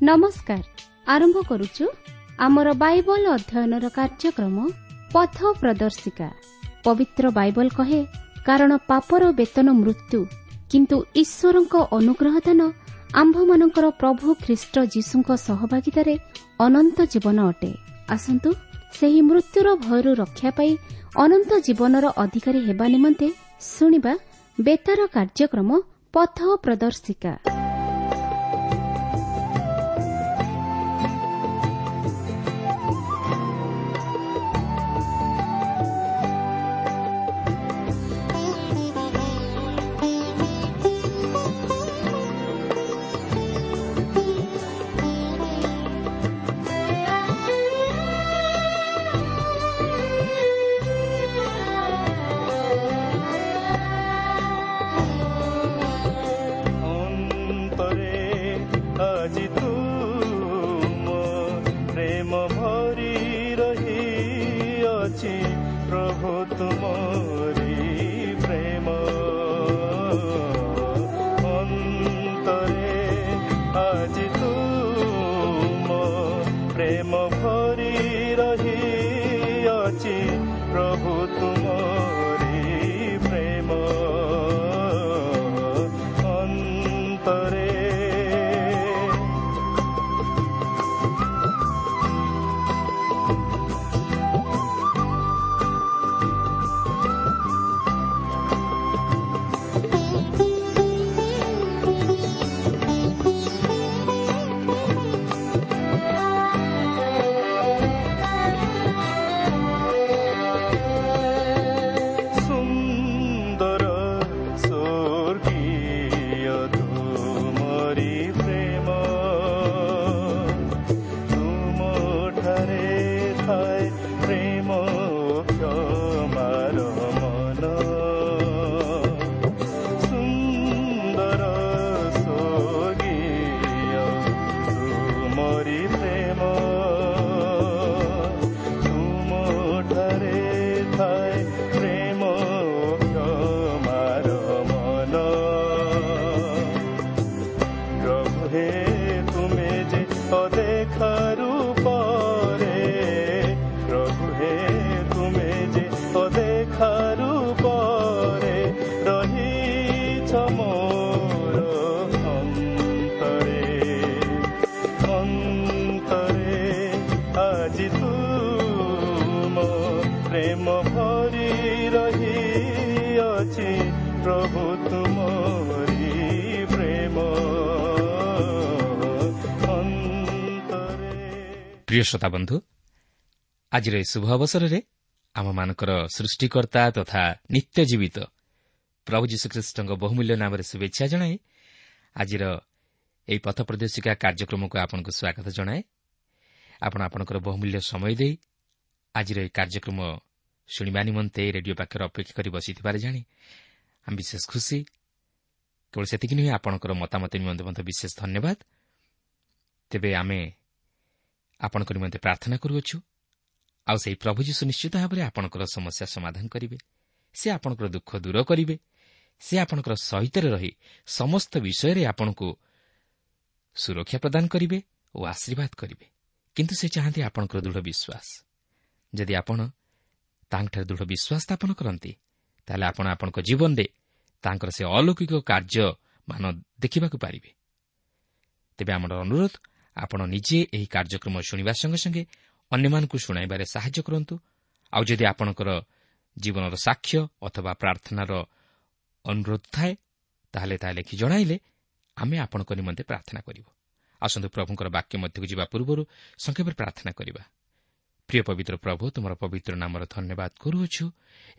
ନମସ୍କାର। ଆରମ୍ଭ କରୁଛୁ ଆମର ବାଇବଲ ଅଧ୍ୟୟନର କାର୍ଯ୍ୟକ୍ରମ ପଥ ପ୍ରଦର୍ଶିକା। ପବିତ୍ର ବାଇବଲ କହେ, କାରଣ ପାପର ବେତନ ମୃତ୍ୟୁ, କିନ୍ତୁ ଈଶ୍ୱରଙ୍କ ଅନୁଗ୍ରହ ଦାନ ଆମ୍ଭମାନଙ୍କର ପ୍ରଭୁ ଖ୍ରୀଷ୍ଟ ଯୀଶୁଙ୍କ ସହଭାଗିତାରେ ଅନନ୍ତ ଜୀବନ ଅଟେ। ଆସନ୍ତୁ ସେହି ମୃତ୍ୟୁର ଭୟରୁ ରକ୍ଷା ପାଇ ଅନନ୍ତ ଜୀବନର ଅଧିକାରୀ ହେବା ନିମନ୍ତେ ଶୁଣିବା ବେତାର କାର୍ଯ୍ୟକ୍ରମ ପଥ ପ୍ରଦର୍ଶିକା। ଅନ୍ତରେ ଆଜି ତୁମ ପ୍ରେମ ଭରି ରହିଅଛି, ପ୍ରଭୁ ତୁମରି ପ୍ରେମ। ଅନ୍ତରେ ଆଜି ତୁମ ପ୍ରେମ ଭରି ରହିଅଛି, ପ୍ରଭୁ ତୁମରି ପ୍ରେମ। ଅନ୍ତରେ ସୁନ୍ଦର ସ୍ୱର୍ଗୀୟ ତୁମରି ପ୍ରେମ, ତୁମଠାରେ ଥାଏ ପ୍ରେମ କ୍ଷମାର ମନ। ସୁନ୍ଦର ସ୍ୱର୍ଗୀୟ ତୁମରି ପ୍ରେମ, ତୁମଠାରେ ଥାଏ ପ୍ରେମ କ୍ଷମାର ମନ। ପ୍ରଭୁ ହେ, ତୁମେ ଯେ ଅଦେଖା ରୂପରେ, ପ୍ରଭୁ ହେ, ତୁମେ ଯେ ଅଦେଖା ରୂପରେ ରହିଛ ମୋର ଅନ୍ତରେ। ଅନ୍ତରେ ଆଜି ତୁମ ପ୍ରେମ ଭରି ରହିଅଛି, ପ୍ରଭୁ ତୁମରି ପ୍ରେମ। ଅନ୍ତରେ। ପ୍ରିୟ ଶ୍ରୋତା ବନ୍ଧୁ, ଆଜିର ଏହି ଶୁଭ ଅବସରରେ ଆମମାନଙ୍କର ସୃଷ୍ଟିକର୍ତ୍ତା ତଥା ନିତ୍ୟ ଜୀବିତ ପ୍ରଭୁ ଯୀଶୁଖ୍ରୀଷ୍ଟଙ୍କ ବହୁମୂଲ୍ୟ ନାମରେ ଶୁଭେଚ୍ଛା ଜଣାଇ ଆଜିର ଏହି ପଥ ପ୍ରଦର୍ଶିକା କାର୍ଯ୍ୟକ୍ରମକୁ ଆପଣଙ୍କୁ ସ୍ୱାଗତ ଜଣାଏ। ଆପଣ ଆପଣଙ୍କର ବହୁମୂଲ୍ୟ ସମୟ ଦେଇ ଆଜିର ଏହି କାର୍ଯ୍ୟକ୍ରମ ଶୁଣିବା ନିମନ୍ତେ ରେଡିଓ ପାଖରେ ଅପେକ୍ଷା କରି ବସିଥିବାର ଜାଣି ଆମେ ବିଶେଷ ଖୁସି। କେବଳ ସେତିକି ନୁହେଁ, ଆପଣଙ୍କର ମତାମତ ନିମନ୍ତେ ମଧ୍ୟ ବିଶେଷ ଧନ୍ୟବାଦ। ତେବେ ଆମେ ଆପଣଙ୍କ ନିମନ୍ତେ ପ୍ରାର୍ଥନା କରୁଅଛୁ, ଆଉ ସେହି ପ୍ରଭୁ ଯୀଶୁ ନିଶ୍ଚିତ ଭାବରେ ଆପଣଙ୍କର ସମସ୍ୟା ସମାଧାନ କରିବେ। ସେ ଆପଣଙ୍କର ଦୁଃଖ ଦୂର କରିବେ। ସେ ଆପଣଙ୍କର ସହିତରେ ରହି ସମସ୍ତ ବିଷୟରେ ଆପଣଙ୍କୁ ସୁରକ୍ଷା ପ୍ରଦାନ କରିବେ ଓ ଆଶୀର୍ବାଦ କରିବେ। କିନ୍ତୁ ସେ ଚାହାନ୍ତି ଆପଣଙ୍କର ଦୃଢ଼ ବିଶ୍ୱାସ। ଯଦି ଆପଣ ତାଙ୍କଠାରେ ଦୃଢ଼ ବିଶ୍ୱାସ ସ୍ଥାପନ କରନ୍ତି, ତାହେଲେ ଆପଣ ଆପଣଙ୍କ ଜୀବନରେ ତାଙ୍କର ସେ ଅଲୌକିକ କାର୍ଯ୍ୟମାନ ଦେଖିବାକୁ ପାରିବେ। ତେବେ ଆମର ଅନୁରୋଧ, ଆପଣ ନିଜେ ଏହି କାର୍ଯ୍ୟକ୍ରମ ଶୁଣିବା ସଙ୍ଗେ ସଙ୍ଗେ ଅନ୍ୟମାନଙ୍କୁ ଶୁଣାଇବାରେ ସାହାଯ୍ୟ କରନ୍ତୁ। ଆଉ ଯଦି ଆପଣଙ୍କର ଜୀବନର ସାକ୍ଷ୍ୟ ଅଥବା ପ୍ରାର୍ଥନାର ଅନୁରୋଧ ଥାଏ, ତାହେଲେ ତାହା ଲେଖି ଜଣାଇଲେ ଆମେ ଆପଣଙ୍କ ନିମନ୍ତେ ପ୍ରାର୍ଥନା କରିବୁ। ଆସନ୍ତୁ ପ୍ରଭୁଙ୍କର ବାକ୍ୟ ମଧ୍ୟକୁ ଯିବା ପୂର୍ବରୁ ସଂକ୍ଷେପରେ ପ୍ରାର୍ଥନା କରିବା। ପ୍ରିୟ ପବିତ୍ର ପ୍ରଭୁ, ତୁମର ପବିତ୍ର ନାମର ଧନ୍ୟବାଦ କରୁଅଛୁ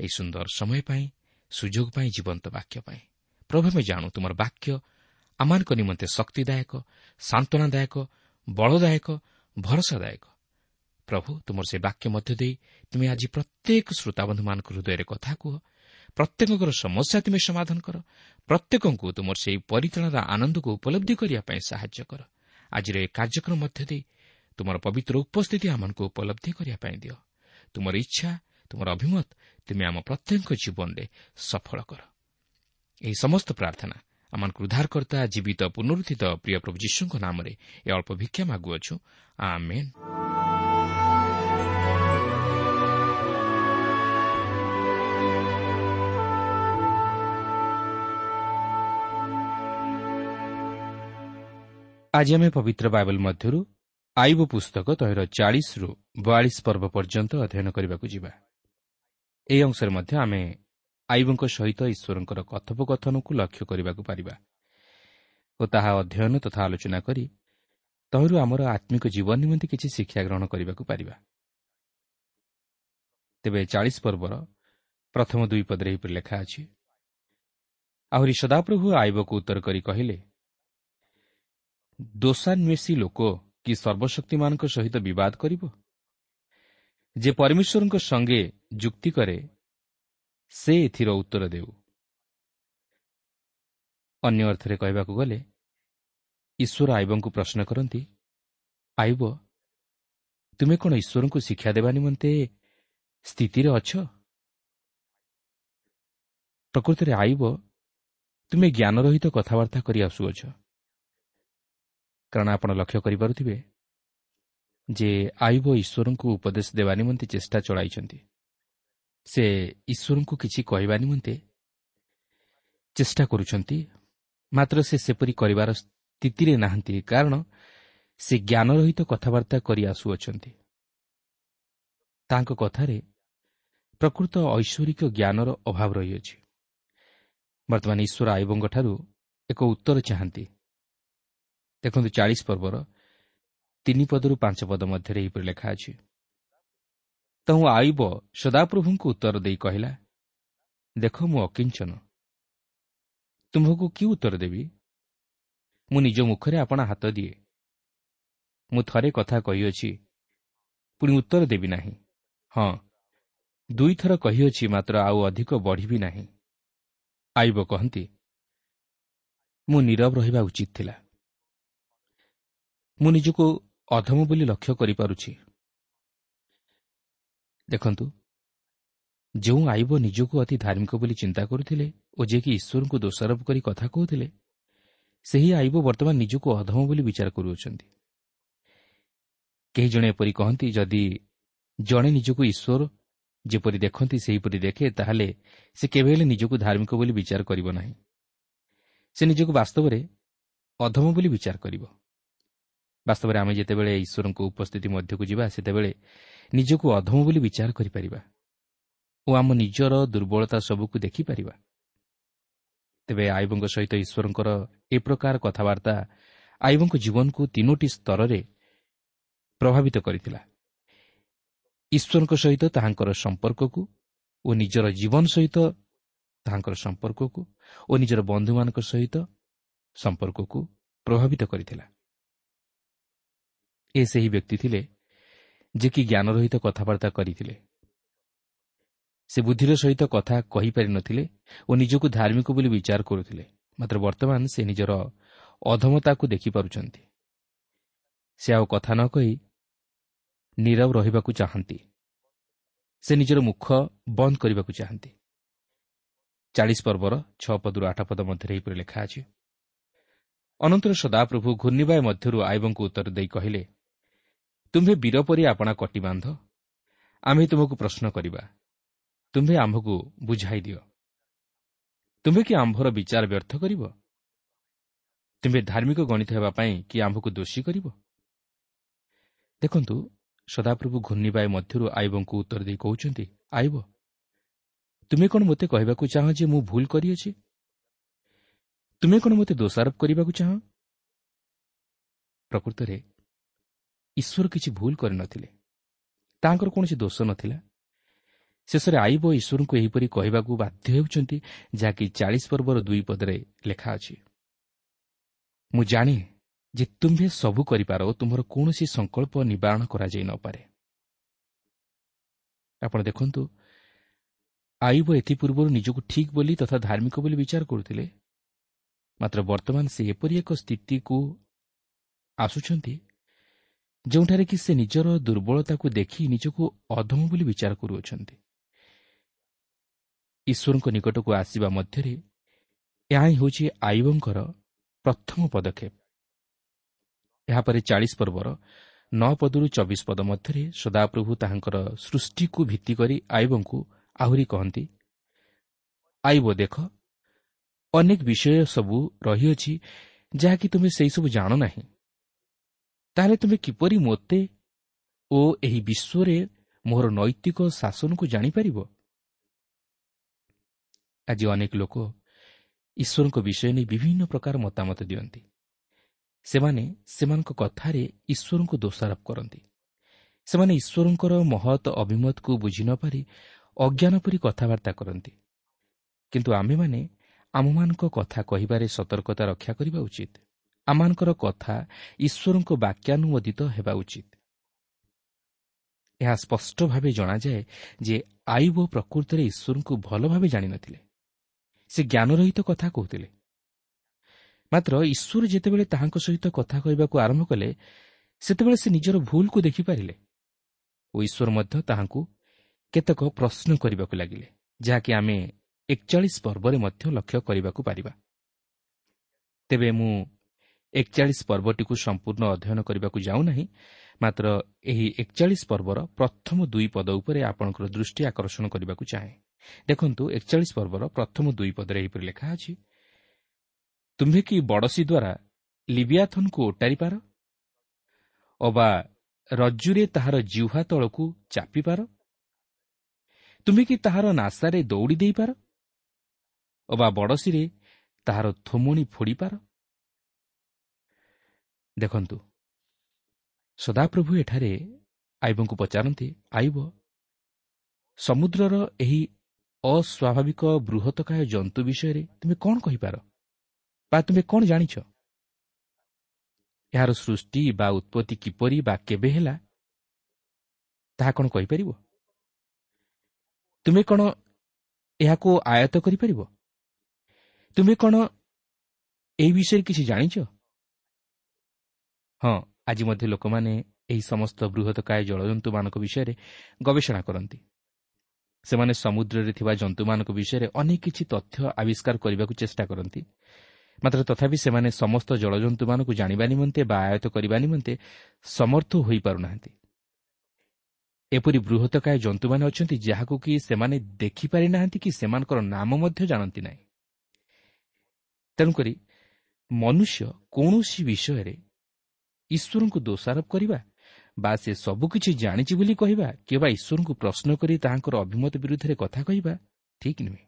ଏହି ସୁନ୍ଦର ସମୟ ପାଇଁ, ସୁଯୋଗ ପାଇଁ, ଜୀବନ୍ତ ବାକ୍ୟ ପାଇଁ। ପ୍ରଭୁ, ଆମେ ଜାଣୁ ତୁମର ବାକ୍ୟ ଆମମାନଙ୍କ ନିମନ୍ତେ ଶକ୍ତିଦାୟକ, ସାନ୍ତ୍ୱନାଦାୟକ, ବଳଦାୟକ, ଭରସାଦାୟକ। ପ୍ରଭୁ, ତୁମର ସେ ବାକ୍ୟ ମଧ୍ୟ ଦେଇ ତୁମେ ଆଜି ପ୍ରତ୍ୟେକ ଶ୍ରୋତାବନ୍ଧୁମାନଙ୍କ ହୃଦୟରେ କଥା କୁହ। ପ୍ରତ୍ୟେକଙ୍କର ସମସ୍ୟା ତୁମେ ସମାଧାନ କର। ପ୍ରତ୍ୟେକଙ୍କୁ ତୁମର ସେହି ପରିତ୍ରାଣର ଆନନ୍ଦକୁ ଉପଲବ୍ଧି କରିବା ପାଇଁ ସାହାଯ୍ୟ କର। ଆଜିର ଏହି କାର୍ଯ୍ୟକ୍ରମ ମଧ୍ୟ ଦେଇ ତୁମର ପବିତ୍ର ଉପସ୍ଥିତି ଆମମାନଙ୍କୁ ଉପଲବ୍ଧି କରିବା ପାଇଁ ଦିଅ। ତୁମର ଇଚ୍ଛା, ତୁମର ଅଭିମତ ତୁମେ ଆମ ପ୍ରତ୍ୟେକଙ୍କ ଜୀବନରେ ସଫଳ କର। ଏହି ସମସ୍ତ ପ୍ରାର୍ଥନା ଆମମାନଙ୍କୁ ଉଦ୍ଧାରକର୍ତ୍ତା ଜୀବିତ ପୁନରୁତ୍ଥିତ ପ୍ରିୟ ପ୍ରଭୁ ଯୀଶୁଙ୍କ ନାମରେ ଏ ଅଳ୍ପ ଭିକ୍ଷା ମାଗୁଅଛୁ, ଆମେନ୍। ଆଜି ଆମେ ପବିତ୍ର ବାଇବଲ ମଧ୍ୟରୁ ଆଇବ ପୁସ୍ତକ ତହିଁର 40ରୁ 42 ପର୍ବ ପର୍ଯ୍ୟନ୍ତ ଅଧ୍ୟୟନ କରିବାକୁ ଯିବା। ଏହି ଅଂଶରେ ମଧ୍ୟ ଆମେ ଆଇବଙ୍କ ସହିତ ଈଶ୍ୱରଙ୍କର କଥୋପକଥନକୁ ଲକ୍ଷ୍ୟ କରିବାକୁ ପାରିବା ଓ ତାହା ଅଧ୍ୟୟନ ତଥା ଆଲୋଚନା କରି ତହିଁରୁ ଆମର ଆତ୍ମିକ ଜୀବନ ନିମନ୍ତେ କିଛି ଶିକ୍ଷା ଗ୍ରହଣ କରିବାକୁ ପାରିବା। ତେବେ 40 ପର୍ବର ପ୍ରଥମ 2 ପଦରେ ଏହିପରି ଲେଖା ଅଛି, ଆହୁରି ସଦାପ୍ରଭୁ ଆଇବକୁ ଉତ୍ତର କରି କହିଲେ, ଦୋଷାନ୍ୱେଷୀ ଲୋକ କି ସର୍ବଶକ୍ତିମାନଙ୍କ ସହିତ ବିବାଦ କରିବ? ଯେ ପରମେଶ୍ୱରଙ୍କ ସଙ୍ଗେ ଯୁକ୍ତି କରେ ସେ ଏଥିର ଉତ୍ତର ଦେଉ। ଅନ୍ୟ ଅର୍ଥରେ କହିବାକୁ ଗଲେ ଈଶ୍ୱର ଆଇବଙ୍କୁ ପ୍ରଶ୍ନ କରନ୍ତି, ଆଇବ, ତୁମେ କ'ଣ ଈଶ୍ୱରଙ୍କୁ ଶିକ୍ଷା ଦେବା ନିମନ୍ତେ ସ୍ଥିତିରେ ଅଛ? ପ୍ରକୃତରେ ଆଇବ, ତୁମେ ଜ୍ଞାନରହିତ କଥାବାର୍ତ୍ତା କରି ଆସୁଅଛ। କାରଣ ଆପଣ ଲକ୍ଷ୍ୟ କରିପାରୁଥିବେ ଯେ ଆଇବ ଈଶ୍ୱରଙ୍କୁ ଉପଦେଶ ଦେବା ନିମନ୍ତେ ଚେଷ୍ଟା ଚଳାଇଛନ୍ତି। ସେ ଈଶ୍ୱରଙ୍କୁ କିଛି କହିବା ନିମନ୍ତେ ଚେଷ୍ଟା କରୁଛନ୍ତି, ମାତ୍ର ସେ ସେପରି କରିବାର ସ୍ଥିତିରେ ନାହାନ୍ତି, କାରଣ ସେ ଜ୍ଞାନରହିତ କଥାବାର୍ତ୍ତା କରି ଆସୁଅଛନ୍ତି। ତାଙ୍କ କଥାରେ ପ୍ରକୃତ ଐଶ୍ୱରିକ ଜ୍ଞାନର ଅଭାବ ରହିଅଛି। ବର୍ତ୍ତମାନ ଈଶ୍ୱର ଆଇବଙ୍କଠାରୁ ଏକ ଉତ୍ତର ଚାହାନ୍ତି। ଦେଖନ୍ତୁ 40 ପର୍ବର 3 ପଦରୁ 5 ପଦ ମଧ୍ୟରେ ଏହିପରି ଲେଖା ଅଛି, ତହୁଁ ଆଇବ ସଦାପ୍ରଭୁଙ୍କୁ ଉତ୍ତର ଦେଇ କହିଲା, ଦେଖ, ମୁଁ ଅକିଞ୍ଚନ, ତୁମ୍ଭକୁ କି ଉତ୍ତର ଦେବି? ମୁଁ ନିଜ ମୁଖରେ ଆପଣା ହାତ ଦିଏ। ମୁଁ ଥରେ କଥା କହିଅଛି, ପୁଣି ଉତ୍ତର ଦେବି ନାହିଁ। ହଁ, 2 ଥର କହିଅଛି, ମାତ୍ର ଆଉ ଅଧିକ ବଢ଼ିବି ନାହିଁ। ଆଇବ କହନ୍ତି, ମୁଁ ନୀରବ ରହିବା ଉଚିତ ଥିଲା। ମୁଁ ନିଜକୁ ଅଧମ ବୋଲି ଲକ୍ଷ୍ୟ କରିପାରୁଛି। ଦେଖନ୍ତୁ, ଯେଉଁ ଆଇବ ନିଜକୁ ଅତି ଧାର୍ମିକ ବୋଲି ଚିନ୍ତା କରୁଥିଲେ ଓ ଯିଏକି ଈଶ୍ୱରଙ୍କୁ ଦୋଷାରୋପ କରି କଥା କହୁଥିଲେ, ସେହି ଆଇବ ବର୍ତ୍ତମାନ ନିଜକୁ ଅଧମ ବୋଲି ବିଚାର କରୁଅଛନ୍ତି। କେହି ଜଣେ ଏପରି କହନ୍ତି, ଯଦି ଜଣେ ନିଜକୁ ଈଶ୍ୱର ଯେପରି ଦେଖନ୍ତି ସେହିପରି ଦେଖେ, ତାହେଲେ ସେ କେବେ ହେଲେ ନିଜକୁ ଧାର୍ମିକ ବୋଲି ବିଚାର କରିବ ନାହିଁ। ସେ ନିଜକୁ ବାସ୍ତବରେ ଅଧମ ବୋଲି ବିଚାର କରିବ। ବାସ୍ତବରେ ଆମେ ଯେତେବେଳେ ଈଶ୍ୱରଙ୍କ ଉପସ୍ଥିତି ମଧ୍ୟକୁ ଯିବା, ସେତେବେଳେ ନିଜକୁ ଅଧମ ବୋଲି ବିଚାର କରିପାରିବା ଓ ଆମ ନିଜର ଦୁର୍ବଳତା ସବୁକୁ ଦେଖିପାରିବା। ତେବେ ଆଇବଙ୍କ ସହିତ ଈଶ୍ୱରଙ୍କର ଏ ପ୍ରକାର କଥାବାର୍ତ୍ତା ଆଇବଙ୍କ ଜୀବନକୁ 3 ସ୍ତରରେ ପ୍ରଭାବିତ କରିଥିଲା। ଈଶ୍ୱରଙ୍କ ସହିତ ତାହାଙ୍କର ସମ୍ପର୍କକୁ ଓ ନିଜର ଜୀବନ ସହିତ ତାହାଙ୍କର ସମ୍ପର୍କକୁ ଓ ନିଜର ବନ୍ଧୁମାନଙ୍କ ସହିତ ସମ୍ପର୍କକୁ ପ୍ରଭାବିତ କରିଥିଲା। ଏ ସେହି ବ୍ୟକ୍ତି ଥିଲେ ଯିଏକି ଜ୍ଞାନରହିତ କଥାବାର୍ତ୍ତା କରିଥିଲେ। ସେ ବୁଦ୍ଧିର ସହିତ କଥା କହିପାରିନଥିଲେ ଓ ନିଜକୁ ଧାର୍ମିକ ବୋଲି ବିଚାର କରୁଥିଲେ, ମାତ୍ର ବର୍ତ୍ତମାନ ସେ ନିଜର ଅଧମତାକୁ ଦେଖିପାରୁଛନ୍ତି। ସେ ଆଉ କଥା ନ କହି ନୀରବ ରହିବାକୁ ଚାହାନ୍ତି। ସେ ନିଜର ମୁଖ ବନ୍ଦ କରିବାକୁ ଚାହାନ୍ତି। 40 ପର୍ବର 6 ପଦରୁ 8 ପଦ ମଧ୍ୟରେ ଏହିପରି ଲେଖା ଅଛି, ଅନନ୍ତର ସଦାପ୍ରଭୁ ଘୂର୍ଣ୍ଣିବାୟ ମଧ୍ୟରୁ ଆଇବଙ୍କୁ ଉତ୍ତର ଦେଇ କହିଲେ, ତୁମ୍ଭେ ବୀର ପରି ଆପଣା କଟି ବାନ୍ଧ, ଆମ୍ଭେ ତୁମକୁ ପ୍ରଶ୍ନ କରିବା, ତୁମ୍ଭେ ଆମ୍ଭକୁ ବୁଝାଇ ଦିଅ। ତୁମ୍ଭେ କି ଆମ୍ଭର ବିଚାର ବ୍ୟର୍ଥ କରିବ? ତୁମ୍ଭେ ଧାର୍ମିକ ଗଣିତ ହେବା ପାଇଁ କି ଆମ୍ଭକୁ ଦୋଷୀ କରିବ? ଦେଖନ୍ତୁ, ସଦାପ୍ରଭୁ ଘୂର୍ଣ୍ଣିବାୟ ମଧ୍ୟରୁ ଆଇବଙ୍କୁ ଉତ୍ତର ଦେଇ କହୁଛନ୍ତି, ଆଇବ, ତୁମେ କ'ଣ ମୋତେ କହିବାକୁ ଚାହଁ ଯେ ମୁଁ ଭୁଲ କରିଅଛି? ତୁମେ କ'ଣ ମୋତେ ଦୋଷାରୋପ କରିବାକୁ ଚାହଁ? ପ୍ରକୃତରେ ଈଶ୍ୱର କିଛି ଭୁଲ କରିନଥିଲେ, ତାଙ୍କର କୌଣସି ଦୋଷ ନଥିଲା। ଶେଷରେ ଆଇବ ଈଶ୍ୱରଙ୍କୁ ଏହିପରି କହିବାକୁ ବାଧ୍ୟ ହେଉଛନ୍ତି, ଯାହାକି 40 ପର୍ବର 2 ପଦରେ ଲେଖା ଅଛି, ମୁଁ ଜାଣେ ଯେ ତୁମ୍ଭେ ସବୁ କରିପାର ଓ ତୁମ୍ଭର କୌଣସି ସଂକଳ୍ପ ନିବାରଣ କରାଯାଇ ନପାରେ। ଆପଣ ଦେଖନ୍ତୁ, ଆଇବ ଏଥିପୂର୍ବରୁ ନିଜକୁ ଠିକ୍ ବୋଲି ତଥା ଧାର୍ମିକ ବୋଲି ବିଚାର କରୁଥିଲେ, ମାତ୍ର ବର୍ତ୍ତମାନ ସେ ଏପରି ଏକ ସ୍ଥିତିକୁ ଆସୁଛନ୍ତି ଯେଉଁଠାରେ କି ସେ ନିଜର ଦୁର୍ବଳତାକୁ ଦେଖି ନିଜକୁ ଅଧମ ବୋଲି ବିଚାର କରୁଅଛନ୍ତି। ଈଶ୍ୱରଙ୍କ ନିକଟକୁ ଆସିବା ମଧ୍ୟରେ ଏହା ହିଁ ହେଉଛି ଆୟୁବଙ୍କର ପ୍ରଥମ ପଦକ୍ଷେପ। ଏହାପରେ 40 ପର୍ବର 9 ପଦରୁ 24 ପଦ ମଧ୍ୟରେ ସଦାପ୍ରଭୁ ତାହାଙ୍କର ସୃଷ୍ଟିକୁ ଭିତ୍ତି କରି ଆୟୁବଙ୍କୁ ଆହୁରି କହନ୍ତି, ଆୟୁବ ଦେଖ, ଅନେକ ବିଷୟ ସବୁ ରହିଅଛି ଯାହାକି ତୁମେ ସେହିସବୁ ଜାଣ ନାହିଁ। ତାହେଲେ ତୁମେ କିପରି ମୋତେ ଓ ଏହି ବିଶ୍ୱରେ ମୋର ନୈତିକ ଶାସନକୁ ଜାଣିପାରିବ? ଆଜି ଅନେକ ଲୋକ ଈଶ୍ୱରଙ୍କ ବିଷୟ ନେଇ ବିଭିନ୍ନ ପ୍ରକାର ମତାମତ ଦିଅନ୍ତି। ସେମାନେ ସେମାନଙ୍କ କଥାରେ ଈଶ୍ୱରଙ୍କୁ ଦୋଷାରୋପ କରନ୍ତି। ସେମାନେ ଈଶ୍ୱରଙ୍କର ମହତ୍ ଅଭିମତକୁ ବୁଝି ନ ପାରି ଅଜ୍ଞାନ ପରି କଥାବାର୍ତ୍ତା କରନ୍ତି। କିନ୍ତୁ ଆମେମାନେ ଆମମାନଙ୍କ କଥା କହିବାରେ ସତର୍କତା ରକ୍ଷା କରିବା ଉଚିତ। ଆମମାନଙ୍କର କଥା ଈଶ୍ୱରଙ୍କ ବାକ୍ୟାନୁମୋଦିତ ହେବା ଉଚିତ। ଏହା ସ୍ପଷ୍ଟ ଭାବେ ଜଣାଯାଏ ଯେ ଆୟୁବ ପ୍ରକୃତରେ ଈଶ୍ୱରଙ୍କୁ ଭଲ ଭାବେ ଜାଣିନଥିଲେ। ସେ ଜ୍ଞାନରହିତ କଥା କହୁଥିଲେ। ମାତ୍ର ଈଶ୍ୱର ଯେତେବେଳେ ତାହାଙ୍କ ସହିତ କଥା କହିବାକୁ ଆରମ୍ଭ କଲେ, ସେତେବେଳେ ସେ ନିଜର ଭୁଲକୁ ଦେଖିପାରିଲେ ଓ ଈଶ୍ୱର ମଧ୍ୟ ତାହାଙ୍କୁ କେତେକ ପ୍ରଶ୍ନ କରିବାକୁ ଲାଗିଲେ, ଯାହାକି ଆମେ 41 ପର୍ବରେ ମଧ୍ୟ ଲକ୍ଷ୍ୟ କରିବାକୁ ପାରିବା। ତେବେ ମୁଁ 41 ପର୍ବଟିକୁ ସମ୍ପୂର୍ଣ୍ଣ ଅଧ୍ୟୟନ କରିବାକୁ ଯାଉନାହିଁ, ମାତ୍ର ଏହି 41 ପର୍ବର ପ୍ରଥମ 2 ପଦ ଉପରେ ଆପଣଙ୍କର ଦୃଷ୍ଟି ଆକର୍ଷଣ କରିବାକୁ ଚାହେଁ। ଦେଖନ୍ତୁ, 41 ପର୍ବର ପ୍ରଥମ 2 ପଦରେ ଏହିପରି ଲେଖା ଅଛି, ତୁମ୍ଭେ କି ବଡ଼ଶୀ ଦ୍ୱାରା ଲିବିଆଥନକୁ ଓଟାରିପାର, ଅବା ରଜ୍ଜୁରେ ତାହାର ଜିହ୍ୱା ତଳକୁ ଚାପିପାର? ତୁମ୍ଭେ କି ତାହାର ନାସାରେ ଦୌଡ଼ି ଦେଇପାର, ଅବା ବଡ଼ଶୀରେ ତାହାର ଥୋମଣି ଫୋଡ଼ିପାର? ଦେଖନ୍ତୁ, ସଦାପ୍ରଭୁ ଏଠାରେ ଆୟୁବଙ୍କୁ ପଚାରନ୍ତି, ଆୟୁବ, ସମୁଦ୍ରର ଏହି ଅସ୍ୱାଭାବିକ ବୃହତକାୟ ଜନ୍ତୁ ବିଷୟରେ ତୁମେ କ'ଣ କହିପାର ବା ତୁମେ କ'ଣ ଜାଣିଛ? ଏହାର ସୃଷ୍ଟି ବା ଉତ୍ପତ୍ତି କିପରି ବା କେବେ ହେଲା ତାହା କ'ଣ କହିପାରିବ? ତୁମେ କ'ଣ ଏହାକୁ ଆୟତ୍ତ କରିପାରିବ? ତୁମେ କ'ଣ ଏହି ବିଷୟରେ କିଛି ଜାଣିଛ? ହଁ, ଆଜି ମଧ୍ୟ ଲୋକମାନେ ଏହି ସମସ୍ତ ବୃହତକାୟ ଜଳଜନ୍ତୁମାନଙ୍କ ବିଷୟରେ ଗବେଷଣା କରନ୍ତି। ସେମାନେ ସମୁଦ୍ରରେ ଥିବା ଜନ୍ତୁମାନଙ୍କ ବିଷୟରେ ଅନେକ କିଛି ତଥ୍ୟ ଆବିଷ୍କାର କରିବାକୁ ଚେଷ୍ଟା କରନ୍ତି। ମାତ୍ର ତଥାପି ସେମାନେ ସମସ୍ତ ଜଳଜନ୍ତୁମାନଙ୍କୁ ଜାଣିବା ନିମନ୍ତେ ବା ଆୟତ୍ତ କରିବା ନିମନ୍ତେ ସମର୍ଥ ହୋଇପାରୁନାହାନ୍ତି। ଏପରି ବୃହତକାୟ ଜନ୍ତୁମାନେ ଅଛନ୍ତି ଯାହାକୁ କି ସେମାନେ ଦେଖିପାରିନାହାନ୍ତି କି ସେମାନଙ୍କର ନାମ ମଧ୍ୟ ଜାଣନ୍ତି ନାହିଁ। ତେଣୁକରି ମନୁଷ୍ୟ କୌଣସି ବିଷୟରେ ଈଶ୍ୱରଙ୍କୁ ଦୋଷାରୋପ କରିବା ବା ସେ ସବୁକିଛି ଜାଣିଛି ବୋଲି କହିବା କିମ୍ବା ଈଶ୍ୱରଙ୍କୁ ପ୍ରଶ୍ନ କରି ତାହାଙ୍କର ଅଭିମତ ବିରୁଦ୍ଧରେ କଥା କହିବା ଠିକ୍ ନୁହେଁ।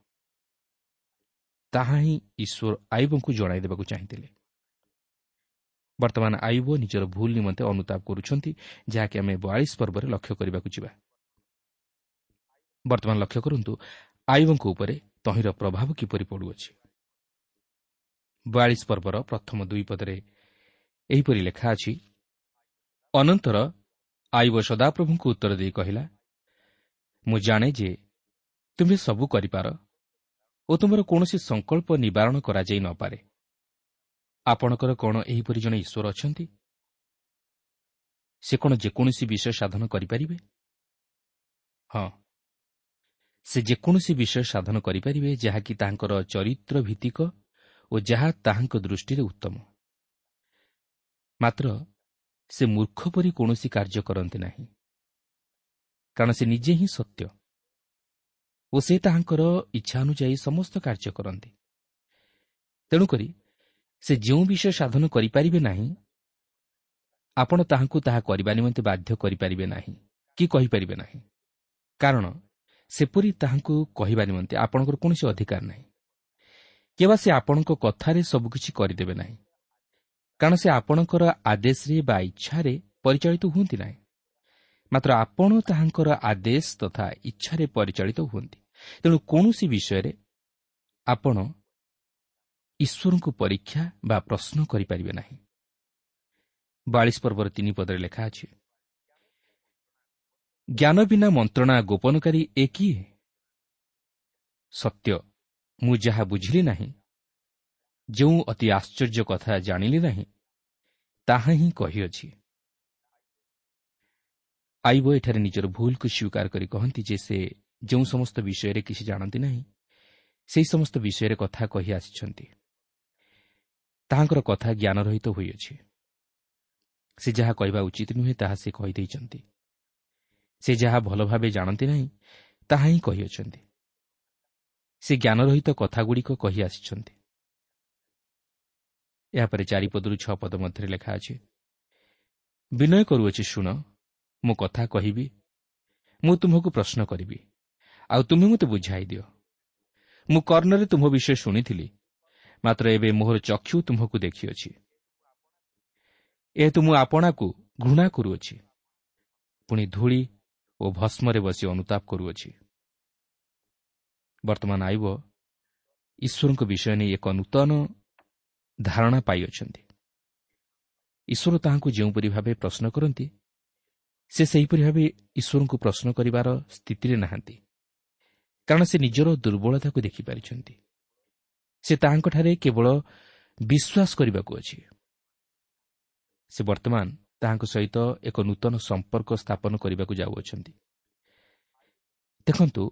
ତାହା ହିଁ ଈଶ୍ୱର ଆୟୁବଙ୍କୁ ଜଣାଇ ଦେବାକୁ ଚାହିଁଥିଲେ। ବର୍ତ୍ତମାନ ଆୟୁବ ନିଜର ଭୁଲ ନିମନ୍ତେ ଅନୁତାପ କରୁଛନ୍ତି, ଯାହାକି ଆମେ 42 ପର୍ବରେ ଲକ୍ଷ୍ୟ କରିବାକୁ ଯିବା। ବର୍ତ୍ତମାନ ଲକ୍ଷ୍ୟ କରନ୍ତୁ ଆୟୁବଙ୍କ ଉପରେ ତହିଁର ପ୍ରଭାବ କିପରି ପଡ଼ୁଅଛି। 42 ପର୍ବର ପ୍ରଥମ 2 ପଦରେ ଏହିପରି ଲେଖା ଅଛି, ଅନନ୍ତର ଆୟୁବ ସଦାପ୍ରଭୁଙ୍କୁ ଉତ୍ତର ଦେଇ କହିଲା, ମୁଁ ଜାଣେ ଯେ ତୁମ୍ଭେ ସବୁ କରିପାର ଓ ତୁମର କୌଣସି ସଂକଳ୍ପ ନିବାରଣ କରାଯାଇ ନପାରେ। ଆପଣଙ୍କର କ'ଣ ଏହିପରି ଜଣେ ଈଶ୍ୱର ଅଛନ୍ତି? ସେ କ'ଣ ଯେକୌଣସି ବିଷୟ ସାଧନ କରିପାରିବେ? ହଁ, ସେ ଯେକୌଣସି ବିଷୟ ସାଧନ କରିପାରିବେ ଯାହାକି ତାହାଙ୍କର ଚରିତ୍ର ଭିତ୍ତିକ ଓ ଯାହା ତାହାଙ୍କ ଦୃଷ୍ଟିରେ ଉତ୍ତମ। ମାତ୍ର ସେ ମୂର୍ଖ ପରି କୌଣସି କାର୍ଯ୍ୟ କରନ୍ତି ନାହିଁ, କାରଣ ସେ ନିଜେ ହିଁ ସତ୍ୟ ଓ ସେ ତାହାଙ୍କର ଇଚ୍ଛା ଅନୁଯାୟୀ ସମସ୍ତ କାର୍ଯ୍ୟ କରନ୍ତି। ତେଣୁକରି ସେ ଯେଉଁ ବିଷୟ ସାଧନ କରିପାରିବେ ନାହିଁ, ଆପଣ ତାହାଙ୍କୁ ତାହା କରିବା ନିମନ୍ତେ ବାଧ୍ୟ କରିପାରିବେ ନାହିଁ କି କହିପାରିବେ ନାହିଁ, କାରଣ ସେପରି ତାହାଙ୍କୁ କହିବା ନିମନ୍ତେ ଆପଣଙ୍କର କୌଣସି ଅଧିକାର ନାହିଁ। କିମ୍ବା ସେ ଆପଣଙ୍କ କଥାରେ ସବୁକିଛି କରିଦେବେ ନାହିଁ, କାରଣ ସେ ଆପଣଙ୍କର ଆଦେଶରେ ବା ଇଚ୍ଛାରେ ପରିଚାଳିତ ହୁଅନ୍ତି ନାହିଁ। ମାତ୍ର ଆପଣ ତାହାଙ୍କର ଆଦେଶ ତଥା ଇଚ୍ଛାରେ ପରିଚାଳିତ ହୁଅନ୍ତି। ତେଣୁ କୌଣସି ବିଷୟରେ ଆପଣ ଈଶ୍ୱରଙ୍କୁ ପରୀକ୍ଷା ବା ପ୍ରଶ୍ନ କରିପାରିବେ ନାହିଁ। 42 ପର୍ବର 3 ପଦରେ ଲେଖା ଅଛି, ଜ୍ଞାନ ବିନା ମନ୍ତ୍ରଣା ଗୋପନକାରୀ ଏ କିଏ? ସତ୍ୟ, ମୁଁ ଯାହା ବୁଝିଲି ନାହିଁ, ଯେଉଁ ଅତି ଆଶ୍ଚର୍ଯ୍ୟ କଥା ଜାଣିଲି ନାହିଁ, ତାହା ହିଁ କହିଅଛି। ଆୟୁବ ଏଠାରେ ନିଜର ଭୁଲକୁ ସ୍ୱୀକାର କରି କହନ୍ତି ଯେ ସେ ଯେଉଁ ସମସ୍ତ ବିଷୟରେ କିଛି ଜାଣନ୍ତି ନାହିଁ, ସେହି ସମସ୍ତ ବିଷୟରେ କଥା କହି ଆସିଛନ୍ତି। ତାହାଙ୍କର କଥା ଜ୍ଞାନରହିତ ହୋଇଅଛି। ସେ ଯାହା କହିବା ଉଚିତ ନୁହେଁ ତାହା ସେ କହିଦେଇଛନ୍ତି। ସେ ଯାହା ଭଲ ଭାବେ ଜାଣନ୍ତି ନାହିଁ ତାହା ହିଁ କହିଅଛନ୍ତି। ସେ ଜ୍ଞାନରହିତ କଥାଗୁଡ଼ିକ କହି ଆସିଛନ୍ତି। ଏହାପରେ 4 ପଦରୁ 6 ପଦ ମଧ୍ୟରେ ଲେଖା ଅଛି, ବିନୟ କରୁଅଛି ଶୁଣ, ମୁଁ କଥା କହିବି, ମୁଁ ତୁମ୍ଭକୁ ପ୍ରଶ୍ନ କରିବି, ଆଉ ତୁମେ ମୋତେ ବୁଝାଇ ଦିଅ। ମୁଁ କର୍ଣ୍ଣରେ ତୁମ୍ଭ ବିଷୟ ଶୁଣିଥିଲି, ମାତ୍ର ଏବେ ମୋହର ଚକ୍ଷୁ ତୁମ୍ଭକୁ ଦେଖିଅଛି। ଏହେତୁ ମୁଁ ଆପଣାକୁ ଘୃଣା କରୁଅଛି, ପୁଣି ଧୂଳି ଓ ଭସ୍ମରେ ବସି ଅନୁତାପ କରୁଅଛି। ବର୍ତ୍ତମାନ ଆଇବ ଈଶ୍ୱରଙ୍କ ବିଷୟ ନେଇ ଏକ ନୂତନ ଧାରଣା ପାଇଅଛନ୍ତି। ଈଶ୍ୱର ତାହାଙ୍କୁ ଯେଉଁପରି ଭାବେ ପ୍ରଶ୍ନ କରନ୍ତି, ସେ ସେହିପରି ଭାବେ ଈଶ୍ୱରଙ୍କୁ ପ୍ରଶ୍ନ କରିବାର ସ୍ଥିତିରେ ନାହାନ୍ତି, କାରଣ ସେ ନିଜର ଦୁର୍ବଳତାକୁ ଦେଖିପାରିଛନ୍ତି। ସେ ତାହାଙ୍କଠାରେ କେବଳ ବିଶ୍ୱାସ କରିବାକୁ ଅଛି। ସେ ବର୍ତ୍ତମାନ ତାହାଙ୍କ ସହିତ ଏକ ନୂତନ ସମ୍ପର୍କ ସ୍ଥାପନ କରିବାକୁ ଯାଉଅଛନ୍ତି। ଦେଖନ୍ତୁ,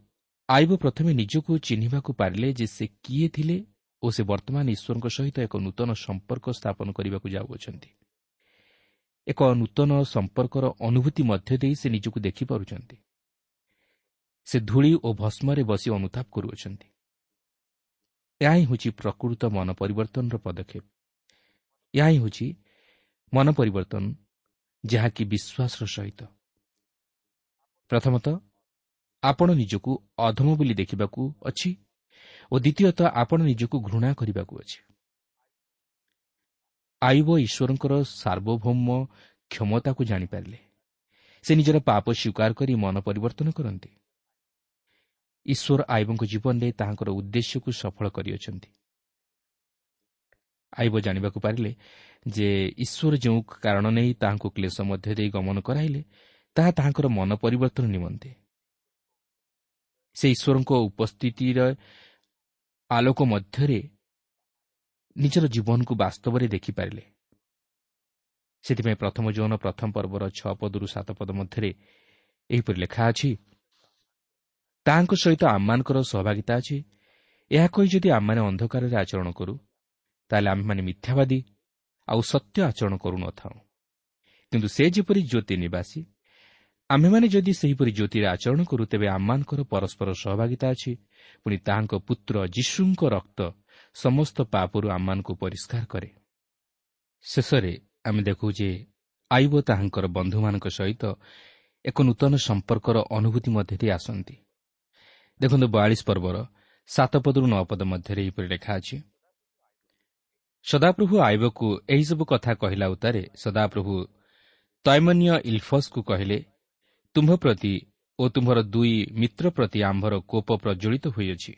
ଆଇବ ପ୍ରଥମେ ନିଜକୁ ଚିହ୍ନିବାକୁ ପାରିଲେ ଯେ ସେ କିଏ ଥିଲେ ଓ ସେ ବର୍ତ୍ତମାନ ଈଶ୍ୱରଙ୍କ ସହିତ ଏକ ନୂତନ ସମ୍ପର୍କ ସ୍ଥାପନ କରିବାକୁ ଯାଉଅଛନ୍ତି। ଏକ ନୂତନ ସମ୍ପର୍କର ଅନୁଭୂତି ମଧ୍ୟ ଦେଇ ସେ ନିଜକୁ ଦେଖିପାରୁଛନ୍ତି। ସେ ଧୂଳି ଓ ଭସ୍ମରେ ବସି ଅନୁତାପ କରୁଅଛନ୍ତି। ଏହା ହିଁ ହେଉଛି ପ୍ରକୃତ ମନ ପରିବର୍ତ୍ତନର ପଦକ୍ଷେପ। ଏହା ହିଁ ହେଉଛି ମନ ପରିବର୍ତ୍ତନ, ଯାହାକି ବିଶ୍ୱାସର ସହିତ। ପ୍ରଥମତଃ ଆପଣ ନିଜକୁ ଅଧମ ବୋଲି ଦେଖିବାକୁ ଅଛି ଓ ଦ୍ୱିତୀୟତଃ ଆପଣ ନିଜକୁ ଘୃଣା କରିବାକୁ ଅଛି। ଆଇବ ଈଶ୍ୱରଙ୍କର ସାର୍ବଭୌମ କ୍ଷମତାକୁ ଜାଣିପାରିଲେ। ସେ ନିଜର ପାପ ସ୍ୱୀକାର କରି ମନ ପରିବର୍ତ୍ତନ କରନ୍ତି। ଈଶ୍ୱର ଆଇବଙ୍କ ଜୀବନରେ ତାହାଙ୍କର ଉଦ୍ଦେଶ୍ୟକୁ ସଫଳ କରିଅଛନ୍ତି। ଆଇବ ଜାଣିବାକୁ ପାରିଲେ ଯେ ଈଶ୍ୱର ଯେଉଁ କାରଣ ନେଇ ତାହାଙ୍କୁ କ୍ଲେଶ ମଧ୍ୟ ଦେଇ ଗମନ କରାଇଲେ, ତାହା ତାହାଙ୍କର ମନ ପରିବର୍ତ୍ତନ ନିମନ୍ତେ। ସେ ଈଶ୍ୱରଙ୍କ ଉପସ୍ଥିତିର ଆଲୋକ ମଧ୍ୟରେ ନିଜର ଜୀବନକୁ ବାସ୍ତବରେ ଦେଖିପାରିଲେ। ସେଥିପାଇଁ ପ୍ରଥମ ଯୌନ ପ୍ରଥମ ପର୍ବର 6 ପଦରୁ 7 ପଦ ମଧ୍ୟରେ ଏହିପରି ଲେଖା ଅଛି, ତାହାଙ୍କ ସହିତ ଆମମାନଙ୍କର ସହଭାଗିତା ଅଛି। ଏହା କହି ଯଦି ଆମମାନେ ଅନ୍ଧକାରରେ ଆଚରଣ କରୁ, ତାହେଲେ ଆମେମାନେ ମିଥ୍ୟାବାଦୀ ଆଉ ସତ୍ୟ ଆଚରଣ କରୁନଥାଉ। କିନ୍ତୁ ସେ ଯେପରି ଜ୍ୟୋତି ନିବାସୀ, ଆମ୍ଭେମାନେ ଯଦି ସେହିପରି ଜ୍ୟୋତିରେ ଆଚରଣ କରୁ, ତେବେ ଆମମାନଙ୍କର ପରସ୍ପର ସହଭାଗିତା ଅଛି। ପୁଣି ତାହାଙ୍କ ପୁତ୍ର ଯୀଶୁଙ୍କ ରକ୍ତ ସମସ୍ତ ପାପରୁ ଆମମାନଙ୍କୁ ପରିଷ୍କାର କରେ। ଶେଷରେ ଆମେ ଦେଖୁ ଯେ ଆଇବ ତାହାଙ୍କର ବନ୍ଧୁମାନଙ୍କ ସହିତ ଏକ ନୂତନ ସମ୍ପର୍କର ଅନୁଭୂତି ମଧ୍ୟ ଦେଇ ଆସନ୍ତି। ଦେଖନ୍ତୁ, 42 ପର୍ବର 7 ପଦରୁ 9 ପଦ ମଧ୍ୟରେ ଏହିପରି ଲେଖା ଅଛି, ସଦାପ୍ରଭୁ ଆଇବକୁ ଏହିସବୁ କଥା କହିଲା ଉତ୍ତାରେ ସଦାପ୍ରଭୁ ତୈମନୀୟ ଇଲଫସ୍କୁ କହିଲେ, ତୁମ୍ଭ ପ୍ରତି ଓ ତୁମ୍ଭର 2 ମିତ୍ର ପ୍ରତି ଆମ୍ଭର କୋପ ପ୍ରଜ୍ୱଳିତ ହୋଇଅଛି,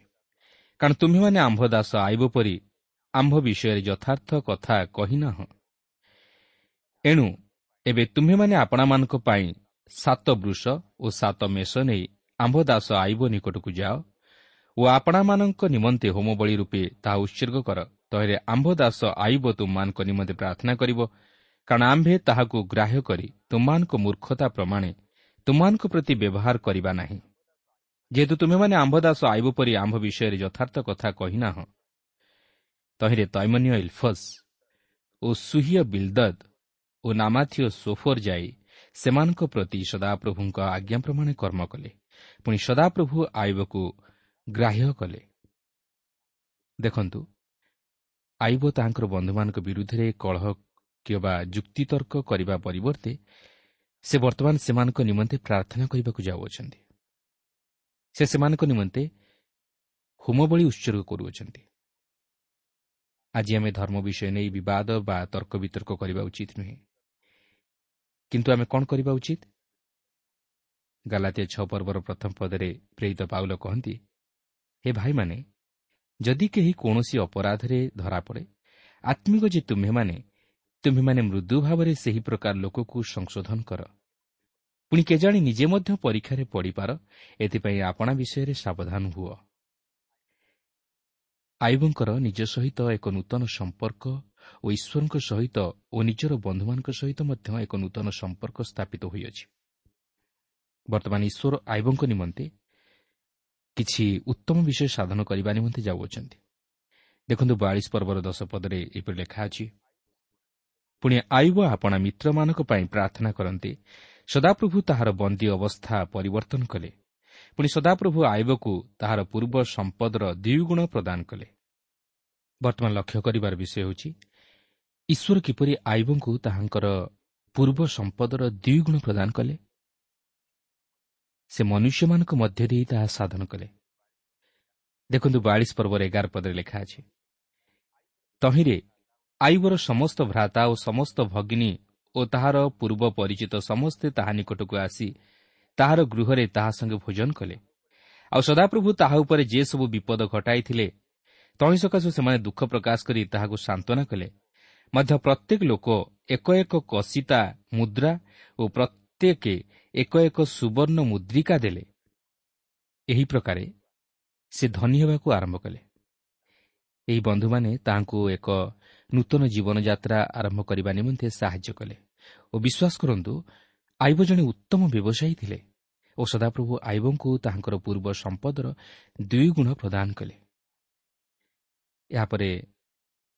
କାରଣ ତୁମ୍ଭେମାନେ ଆମ୍ଭ ଦାସ ଆଇବ ପରି ଆମ୍ଭ ବିଷୟରେ ଯଥାର୍ଥ କଥା କହିନାହଁ। ଏଣୁ ଏବେ ତୁମ୍ଭେମାନେ ଆପଣାମାନଙ୍କ ପାଇଁ 7 ବୃଷ ଓ 7 ମେଷ ନେଇ ଆମ୍ଭ ଦାସ ଆଇବ ନିକଟକୁ ଯାଅ ଓ ଆପଣାମାନଙ୍କ ନିମନ୍ତେ ହୋମବଳି ରୂପେ ତାହା ଉତ୍ସର୍ଗ କର। ତହିଁରେ ଆମ୍ଭ ଦାସ ଆଇବ ତୁମମାନଙ୍କ ନିମନ୍ତେ ପ୍ରାର୍ଥନା କରିବ, କାରଣ ଆମ୍ଭେ ତାହାକୁ ଗ୍ରାହ୍ୟ କରି ତୁମମାନଙ୍କ ମୂର୍ଖତା ପ୍ରମାଣେ ତୁମମାନଙ୍କ ପ୍ରତି ବ୍ୟବହାର କରିବା ନାହିଁ। ଯେହେତୁ ତୁମେମାନେ ଆମ୍ଭ ଦାସ ଆଇବ ପରି ଆମ୍ଭ ବିଷୟରେ ଯଥାର୍ଥ କଥା କହିନାହଁ। ତହିଁରେ ତୈମନୀୟ ଇଲଫସ୍ ଓ ସୁହିୟ ବିଲଦଦ୍ ଓ ନାମାଥୀୟ ସୋଫର ଯାଇ ସେମାନଙ୍କ ପ୍ରତି ସଦାପ୍ରଭୁଙ୍କ ଆଜ୍ଞା ପ୍ରମାଣେ କର୍ମ କଲେ। ପୁଣି ସଦାପ୍ରଭୁ ଆଇବକୁ ଗ୍ରାହ୍ୟ କଲେ। ଦେଖନ୍ତୁ, ଆଇବ ତାହାଙ୍କର ବନ୍ଧୁମାନଙ୍କ ବିରୁଦ୍ଧରେ କଳହ କିମ୍ବା ଯୁକ୍ତିତର୍କ କରିବା ପରିବର୍ତ୍ତେ ସେ ବର୍ତ୍ତମାନ ସେମାନଙ୍କ ନିମନ୍ତେ ପ୍ରାର୍ଥନା କରିବାକୁ ଯାଉଅଛନ୍ତି। ସେ ସେମାନଙ୍କ ନିମନ୍ତେ ହୋମବଳି ଉତ୍ସର୍ଗ କରୁଅଛନ୍ତି। ଆଜି ଆମେ ଧର୍ମ ବିଷୟ ନେଇ ବିବାଦ ବା ତର୍କ ବିତର୍କ କରିବା ଉଚିତ ନୁହେଁ, କିନ୍ତୁ ଆମେ କ'ଣ କରିବା ଉଚିତ? ଗାଲାତୀୟ 6 ପର୍ବର ପ୍ରଥମ ପଦରେ ପ୍ରେରିତ ପାଉଲ କହନ୍ତି, ହେ ଭାଇମାନେ, ଯଦି କେହି କୌଣସି ଅପରାଧରେ ଧରାପଡ଼େ, ଆତ୍ମିକ ଯେ ତୁମ୍ଭେମାନେ ମୃଦୁ ଭାବରେ ସେହି ପ୍ରକାର ଲୋକକୁ ସଂଶୋଧନ କର। ପୁଣି କେଜାଣି ନିଜେ ମଧ୍ୟ ପରୀକ୍ଷାରେ ପଡ଼ିପାର, ଏଥିପାଇଁ ଆପଣା ବିଷୟରେ ସାବଧାନ ହୁଅ। ଆଇବଙ୍କର ନିଜ ସହିତ ଏକ ନୂତନ ସମ୍ପର୍କ ଓ ଈଶ୍ୱରଙ୍କ ସହିତ ଓ ନିଜର ବନ୍ଧୁମାନଙ୍କ ସହିତ ମଧ୍ୟ ଏକ ନୂତନ ସମ୍ପର୍କ ସ୍ଥାପିତ ହୋଇଅଛି। ବର୍ତ୍ତମାନ ଈଶ୍ୱର ଆଇବଙ୍କ ନିମନ୍ତେ କିଛି ଉତ୍ତମ ବିଷୟ ସାଧନ କରିବା ନିମନ୍ତେ ଯାଉଅଛନ୍ତି। ଦେଖନ୍ତୁ, 42 ପର୍ବର 10 ପଦରେ ଏପରି ଲେଖା ଅଛି, ପୁଣି ଆୟୁବ ଆପଣା ମିତ୍ରମାନଙ୍କ ପାଇଁ ପ୍ରାର୍ଥନା କରନ୍ତି, ସଦାପ୍ରଭୁ ତାହାର ବନ୍ଦୀ ଅବସ୍ଥା ପରିବର୍ତ୍ତନ କଲେ। ପୁଣି ସଦାପ୍ରଭୁ ଆୟୁବକୁ ତାହାର ପୂର୍ବ ସମ୍ପଦର ଦ୍ୱିଗୁଣ ପ୍ରଦାନ କଲେ। ବର୍ତ୍ତମାନ ଲକ୍ଷ୍ୟ କରିବାର ବିଷୟ ହେଉଛି, ଈଶ୍ୱର କିପରି ଆୟୁବଙ୍କୁ ତାହାଙ୍କର ପୂର୍ବ ସମ୍ପଦର ଦ୍ୱିଗୁଣ ପ୍ରଦାନ କଲେ। ସେ ମନୁଷ୍ୟମାନଙ୍କ ମଧ୍ୟ ଦେଇ ତାହା ସାଧନ କଲେ। ଦେଖନ୍ତୁ, 42 ପର୍ବର 11 ପଦରେ ଲେଖା ଅଛି, ତହିଁରେ ଆୟୁବର ସମସ୍ତ ଭ୍ରାତା ଓ ସମସ୍ତ ଭଗିନୀ ଓ ତାହାର ପୂର୍ବ ପରିଚିତ ସମସ୍ତେ ତାହା ନିକଟକୁ ଆସି ତାହାର ଗୃହରେ ତାହା ସଙ୍ଗେ ଭୋଜନ କଲେ। ଆଉ ସଦାପ୍ରଭୁ ତାହା ଉପରେ ଯେ ସବୁ ବିପଦ ଘଟାଇଥିଲେ ତହିଁ ସକାଶୁ ସେମାନେ ଦୁଃଖ ପ୍ରକାଶ କରି ତାହାକୁ ସାନ୍ତ୍ୱନା କଲେ। ମଧ୍ୟ ପ୍ରତ୍ୟେକ ଲୋକ ଏକ ଏକ କସିତା ମୁଦ୍ରା ଓ ପ୍ରତ୍ୟେକ ଏକ ଏକ ସୁବର୍ଣ୍ଣ ମୁଦ୍ରିକା ଦେଲେ। ଏହି ପ୍ରକାରେ ସେ ଧନୀ ହେବାକୁ ଆରମ୍ଭ କଲେ। ଏହି ବନ୍ଧୁମାନେ ତାହାଙ୍କୁ ଏକ ନୂତନ ଜୀବନଯାତ୍ରା ଆରମ୍ଭ କରିବା ନିମନ୍ତେ ସାହାଯ୍ୟ କଲେ ଓ ବିଶ୍ୱାସ କରନ୍ତୁ, ଆଇବ ଜଣେ ଉତ୍ତମ ବ୍ୟବସାୟୀ ଥିଲେ ଓ ସଦାପ୍ରଭୁ ଆଇବଙ୍କୁ ତାହାଙ୍କର ପୂର୍ବ ସମ୍ପଦର ଦ୍ୱିଗୁଣ ପ୍ରଦାନ କଲେ। ଏହାପରେ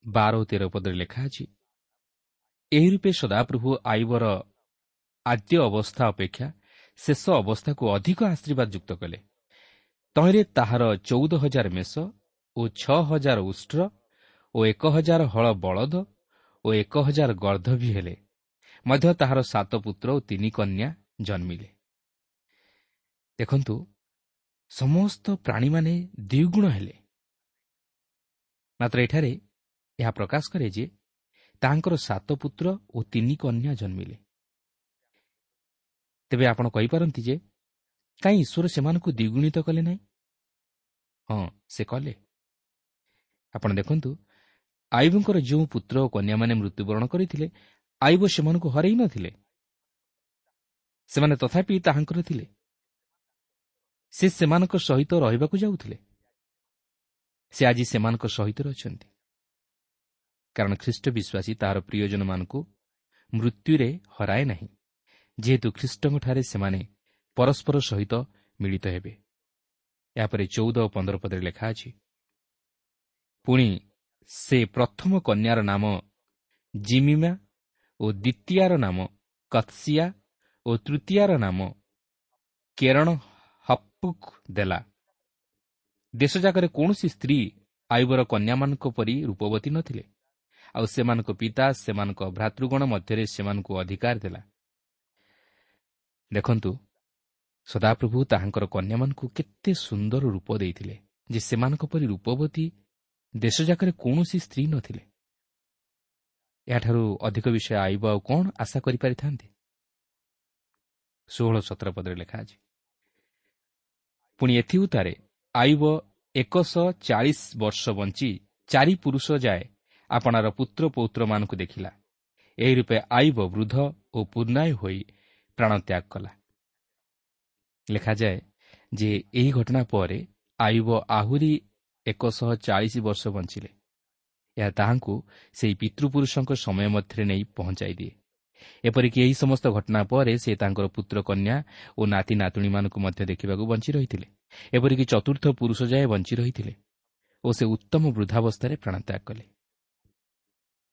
12 ଓ 13 ପଦରେ ଲେଖା ଅଛି, ଏହି ରୂପେ ସଦାପ୍ରଭୁ ଆଇବର ଆଦ୍ୟ ଅବସ୍ଥା ଅପେକ୍ଷା ଶେଷ ଅବସ୍ଥାକୁ ଅଧିକ ଆଶୀର୍ବାଦ ଯୁକ୍ତ କଲେ। ତହିଁରେ ତାହାର 14,000 ମେଷ ଓ 6,000 ଉଷ୍ଟ୍ର ଓ 1,000 ହଳ ବଳଦ ଓ 1,000 ଗର୍ଦ୍ଦଭୀ ହେଲେ। ମଧ୍ୟ ତାହାର 7 ପୁତ୍ର ଓ 3 କନ୍ୟା ଜନ୍ମିଲେ। ଦେଖନ୍ତୁ, ସମସ୍ତ ପ୍ରାଣୀମାନେ ଦ୍ୱିଗୁଣ ହେଲେ। ମାତ୍ର ଏଠାରେ ଏହା ପ୍ରକାଶ କରେ ଯେ ତାହାଙ୍କର 7 ପୁତ୍ର ଓ 3 କନ୍ୟା ଜନ୍ମିଲେ। ତେବେ ଆପଣ କହିପାରନ୍ତି ଯେ କାହିଁ ଈଶ୍ୱର ସେମାନଙ୍କୁ ଦ୍ୱିଗୁଣିତ କଲେ ନାହିଁ? ହଁ, ସେ କଲେ। ଆପଣ ଦେଖନ୍ତୁ, ଆୟୁବଙ୍କର ଯେଉଁ ପୁତ୍ର ଓ କନ୍ୟାମାନେ ମୃତ୍ୟୁବରଣ କରିଥିଲେ, ଆୟୁବ ସେମାନଙ୍କୁ ହରାଇ ନଥିଲେ। ସେମାନେ ତଥାପି ତାହାଙ୍କର ଥିଲେ। ସେ ସେମାନଙ୍କ ସହିତ ରହିବାକୁ ଯାଉଥିଲେ। ସେ ଆଜି ସେମାନଙ୍କ ସହିତ ଅଛନ୍ତି, କାରଣ ଖ୍ରୀଷ୍ଟ ବିଶ୍ୱାସୀ ତାହାର ପ୍ରିୟଜନମାନଙ୍କୁ ମୃତ୍ୟୁରେ ହରାଏ ନାହିଁ, ଯେହେତୁ ଖ୍ରୀଷ୍ଟଙ୍କଠାରେ ସେମାନେ ପରସ୍ପର ସହିତ ମିଳିତ ହେବେ। ଏହାପରେ 14 ଓ 15 ପଦରେ ଲେଖା ଅଛି, ପୁଣି ସେ ପ୍ରଥମ କନ୍ୟାର ନାମ ଜିମିମା ଓ ଦ୍ୱିତୀୟାର ନାମ କତ୍ସିଆ ଓ ତୃତୀୟାର ନାମ କେରଣ ହପ୍ପୁକ୍ ଦେଲା। ଦେଶଯାକରେ କୌଣସି ସ୍ତ୍ରୀ ଆୟୁବର କନ୍ୟାମାନଙ୍କ ପରି ରୂପବତୀ ନଥିଲେ, ଆଉ ସେମାନଙ୍କ ପିତା ସେମାନଙ୍କ ଭ୍ରାତୃଗଣ ମଧ୍ୟରେ ସେମାନଙ୍କୁ ଅଧିକାର ଦେଲା। ଦେଖନ୍ତୁ, ସଦାପ୍ରଭୁ ତାହାଙ୍କର କନ୍ୟାମାନଙ୍କୁ କେତେ ସୁନ୍ଦର ରୂପ ଦେଇଥିଲେ ଯେ ସେମାନଙ୍କ ପରି ରୂପବତୀ ଦେଶଯାକରେ କୌଣସି ସ୍ତ୍ରୀ ନଥିଲେ। ଏହାଠାରୁ ଅଧିକ ବିଷୟ ଆଇବ ଆଉ କ'ଣ ଆଶା କରିପାରିଥାନ୍ତେ? 16 17 ପଦରେ ଲେଖା ଅଛି, ପୁଣି ଏଥିଉତ୍ତାରେ ଆଇବ 140 ବର୍ଷ ବଞ୍ଚି 4 ପୁରୁଷ ଯାଏ ଆପଣାର ପୁତ୍ର ପୌତ୍ରମାନଙ୍କୁ ଦେଖିଲା। ଏହି ରୂପେ ଆଇବ ବୃଦ୍ଧ ଓ ପୂର୍ଣ୍ଣାୟୁ ହୋଇ ପ୍ରାଣତ୍ୟାଗ କଲା। ଲେଖାଯାଏ ଯେ ଏହି ଘଟଣା ପରେ ଆୟୁବ ଆହୁରି 140 ବର୍ଷ ବଞ୍ଚିଲେ। ଏହା ତାହାଙ୍କୁ ସେହି ପିତୃପୁରୁଷଙ୍କ ସମୟ ମଧ୍ୟରେ ନେଇ ପହଞ୍ଚାଇ ଦିଏ। ଏପରିକି ଏହି ସମସ୍ତ ଘଟଣା ପରେ ସେ ତାଙ୍କର ପୁତ୍ର କନ୍ୟା ଓ ନାତି ନାତୁଣୀମାନଙ୍କୁ ମଧ୍ୟ ଦେଖିବାକୁ ବଞ୍ଚି ରହିଥିଲେ। ଏପରିକି ଚତୁର୍ଥ ପୁରୁଷ ଯାଏ ବଞ୍ଚି ରହିଥିଲେ ଓ ସେ ଉତ୍ତମ ବୃଦ୍ଧାବସ୍ଥାରେ ପ୍ରାଣତ୍ୟାଗ କଲେ।